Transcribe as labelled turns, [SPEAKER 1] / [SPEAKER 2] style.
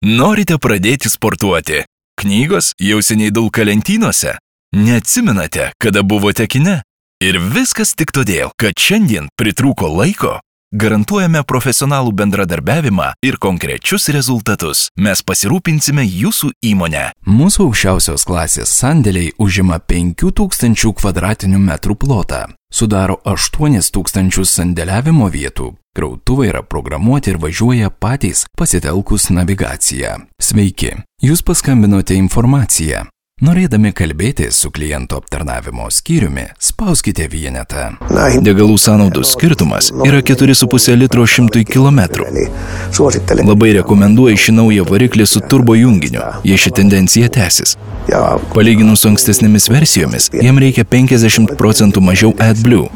[SPEAKER 1] Norite pradėti sportuoti? Knygos jau seniai dulka lentynose? Neatsimenate, kada buvote kine? Ir viskas tik todėl, kad šiandien pritrūko laiko? Garantuojame profesionalų bendradarbiavimą ir konkrečius rezultatus. Mes pasirūpinsime jūsų įmonę.
[SPEAKER 2] Mūsų aukščiausios klasės sandėliai užima 5000 kvadratinių metrų plotą. Sudaro 8000 sandėliavimo vietų. Krautuvai yra programuoti ir važiuoja patys pasitelkus navigaciją. Sveiki, jūs paskambinote informaciją. Norėdami kalbėti su kliento aptarnavimo skyriumi, spauskite vienetą.
[SPEAKER 1] Degalų sąnaudų skirtumas yra 4,5 litro 100 km. Labai rekomenduoju šį naują variklį su turbo junginiu, jei ši tendencija tęsis. Palyginus su ankstesnėmis versijomis, jam reikia 50% mažiau AdBlue.